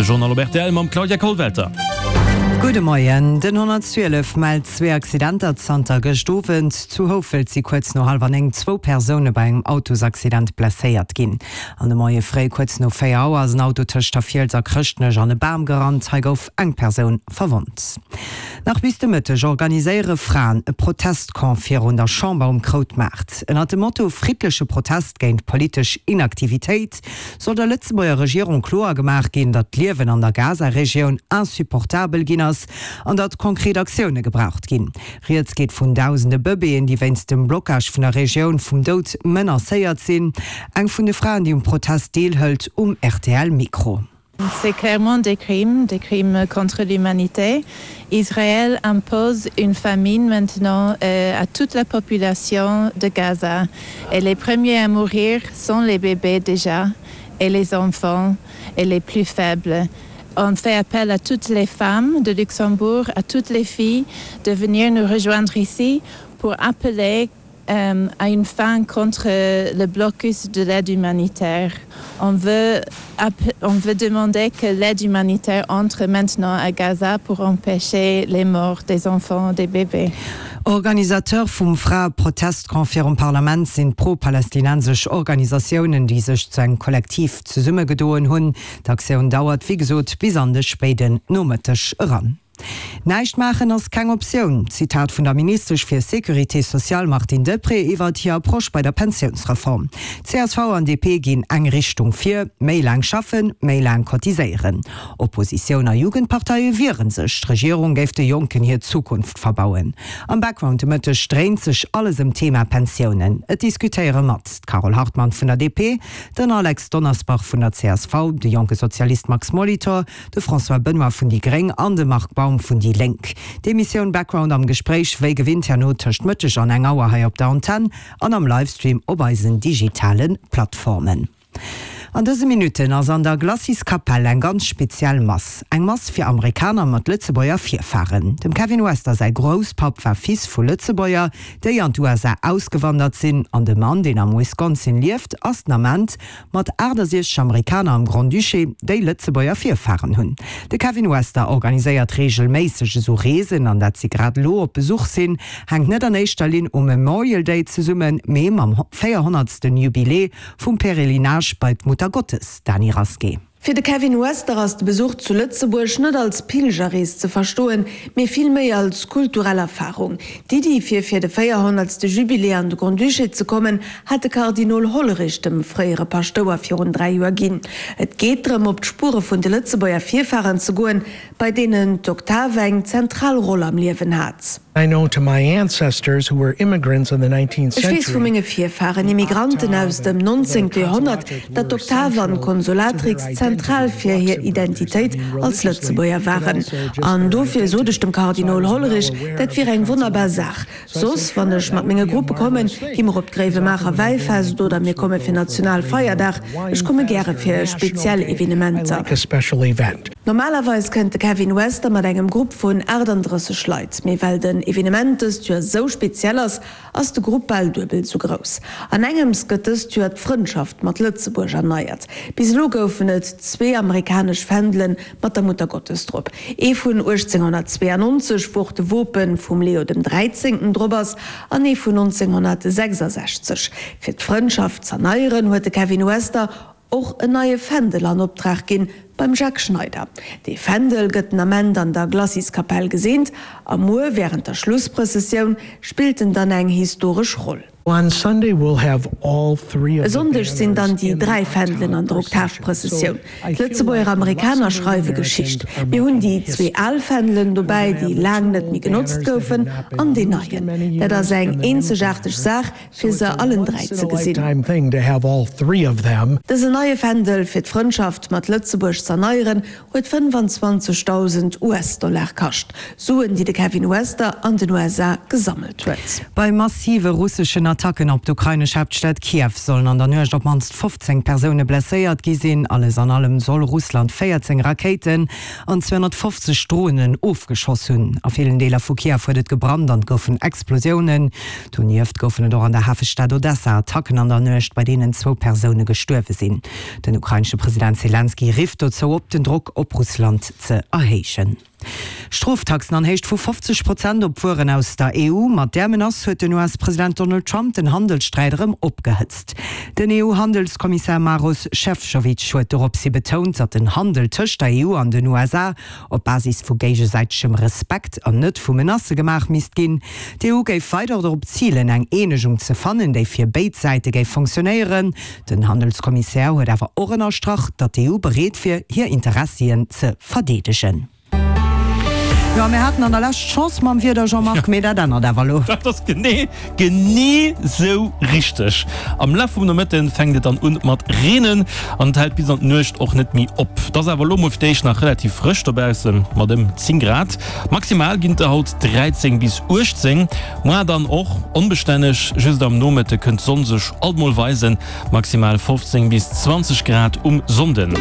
Journal op rtl mam Claudia Kollwelter. Gudde Moien. Den 112 mellt zwee Accidenter zanter gëscht Owend. Zu Houfelt si kuerz no hallwer 9 zwou Persoune bei engem Autosaccident blesséiert ginn. An de Moie fréi kuerz no 4 Auer ass en Auto tëscht der Fiels a Chrëschtnech an e Bam gerannt. Hei gouf eng Persoun verwonnt. Nach bis de Mëtteg organiséiere Fraen e Protestcamp virun der Chamber um Kroutmaart. Ënnert dem Motto Friddleche Protest géint politesch Inaktivitéit soll der Lëtzebuerger Regierung kloer gemaach ginn, datt d'Liewen an der Gaza-Regioun insupportabel ginn ass an datt konkret Aktioune gebraucht ginn. Rieds geet vun dausende Bëbeeën, déi wéinst dem Blockage vun der Regioun vum Doud menacéiert sinn. Eng vun de Fraen, déi um Protest deelhëlt, um RTL-Mikro. C'est clairement des crimes, des crimes contre l'humanité. Israël impose une famine maintenant euh, à toute la population de Gaza. Et les premiers à mourir sont les bébés déjà et les enfants et les plus faibles. On fait appel à toutes les femmes de Luxembourg, à toutes les filles de venir nous rejoindre ici pour appeler euh, à une fin contre le blocus de l'aide humanitaire. On veut, on veut demander que l'aide humanitaire entre maintenant à Gaza pour empêcher les morts des enfants des bébés. Organisateur vum Fraeprotestcamp virum Parlament sinn d'pro-palästinensesch Organisatiounen, déi sech zu engem Kollektiv zesummegedoen hunn. D'Aktioun dauert wéi gesot bis an de spéiden Nomëtteg eran. Näischt maachen ass keng Optioun, Zitat vun der Ministesch fir Sécurité sociale Martine Deprez iwwert hir Approche bei der Pensiounsreform. Csv an DP ginn eng Richtung vir, méi laang schaffen, méi laang cotiséieren. Oppositioun a Jugendparteie wiere sech, d'Regierung géif de Jonken hir Zukunft verbauen. Am Background de Mëtteg dréint sech alles ëm d'Thema Pensiounen. Et diskutéiere mat, d'Carole Hartmann vun der DP, den Alex Donnersbach vun der csv, de jonke Sozialist Max Molitor, de François Benoy vun déi gréng an de Marc Baum vun déi Lénk. D'Emissioun Background am Gespréich wéi gewinnt herno tëscht Mëtteg an eng Auer hei op der Antenn an am Livestream op eisen digitale Plattformen. An dëse Minutten ass an der Glacis-Kapell eng ganz speziell Mass. Eng Mass fir Amerikaner mat Lëtzebuerger Virfaren. Dem Kevin Wester säi Grousspapp war Fils vu Lëtzebuerger, déi an d'USA ausgewandert sinn. An de Mann, deen am Wisconsin lieft, ass den Ament mat 68 Amerikaner am Grand-Duché, déi Lëtzebuerger Virfaren hunn. De Kevin Wester organiséiert reegelméisseg esou Reesen an dat si grad elo op Besuch sinn, hänkt net an éischter Linn um Memorial Day zesummen, mee mam 400. Jubiläe vum Pèrelinage bei d'Muttergottes, Dany Rasqué. Fir de Kevin Wester ass de Besuch zu Lëtzebuerg net als Pilgerrees ze verstoen, mee vill méi als kulturell Erfarung. D'Iddi fir fir de 400. Jubilé an de Grand-Duché ze kommen, hat de Kardinol Hollerich dem fréiere Paschtouer virun 3 Joer ginn. Et geet drëm, op d'Spuere vun de Lëtzebuerger Virfaren ze goen, bei deenen d'Oktav eng zentral Roll am Liewen hat. I know to my ancestors who were immigrants in the nineteenth Ech weess vu century, menge Virfaren, Immigranten aus dem nonzéngte Joerhonnert, datt d'Oktav an d'Consolatrix zentral fir hir Identitéit als Lëtzebuerger waren. An dofir sot ech dem Kardinol Hollerich, dat wier eng wonnerbar Saach. Soss, wann ech mat menge Gruppe kommen, gi mer op d'Gréiwemaacher Wäifest oder mir komme fir Nationalfeierdag. Ech komme gäre fir speziell Evenementer. Normalerweis kënnt de Kevin Wester mat engem Grupp vun 38 Leit, mee well den Evenement dëst Joer sou speziell ass, ass de Grupp bal duebel sou grouss. An engems gëtt dëst Joer d'Frëndschaft mat Lëtzebuerg erneiert. Bis elo goufen et zwee amerikanesch Fändele mat der Muttergottes drop, ee vun 1892, wou och de Wope vum Leo dem Dräizéngten drop ass, an ee vun 1966. Fir d'Frëndschaft z'erneieren, huet de Kevin Wester och en neie Fändel an Optrag ginn beim Jacques Schneider. Dee Fändel gëtt den Ament an der Glaciskapell geseent a muer wärend der Schlussprëssessioun spillt en dann eng historesch Roll. E Sonndeg sinn dann déi 3 Fändelen an der Oktavprëssessioun. D'Lëtzebuerger Amerikaner schreiwe Geschicht. Mir hunn déi zwee al Fändelen dobäi, déi laang net méi genotzt goufen, an deen neien. Dat ass eng eenzegaarteg Saach, fir se allen 3 ze gesinn. Dësen neie Fändel fir d'Frëndschaft mat Lëtzebuerg z'erneieren, huet 25.000 US-Dollar kascht, Suen, déi de Kevin Wester an den USA gesammelt huet. Bei massive russeschen. Attacken op d'ukrainesch Haaptstad Kiew sollen an der Nuecht op d'mannst 15 Persoune blesséiert gi sinn. Alles an allem soll Russland 14 Rakéiten an 250 Dronen ofgeschoss hunn. A villen Deeler vu Kiew huet et gebrannt an et goufen Explosiounen. Donieft goufen et och an der Hafestad Odessa Attacken an der Nuecht, bei deenen zwou Persoune gestuerwe sinn. Den ukrainesche President Selenskyj rifft dozou op, den Drock op Russland ze erhéijen. Stroftaxen an Héicht vu 50 Prozent op Wueren aus der EU. Mat där Menace huet den US-President Donald Trump den Handelssträit erëm opgehëtzt. Den EU-Handelskommissär Maros Šefčovič huet doropshi betount, datt den Handel tëscht der EU an den USA op Basis vu géigesäitegem Respekt an net vu Menacë gemaach misst ginn. D'EU géif weider dorop zilen, eng Eenegung ze fannen, déi fir béid Säite géif fonctionnéieren. Den Handelskommissär huet awer och ënnerstrach, datt d'EU bereet wier, hir Interessien ze verdeedegen. Jo, mir haten an der Lescht Chance mam Wieder, Jean-Marc, mee dat ännert awer elo. Dat ass genee, genee sou richteg. Am Laf vum Nomëtte fänkt et dann un mat reenen an et hält bis an d'Nuecht och net méi op. Et ass awer elo mol fir d'éischt nach relativ frësch dobaussen, mat ëm 10 Grad. Maximal ginn et der haut 13 bis 18. Moar dann och onbestänneg, just am Nomëtte kënnt d'Sonn sech alt mol weisen, maximal 15 bis 20 Grad um Sonnden.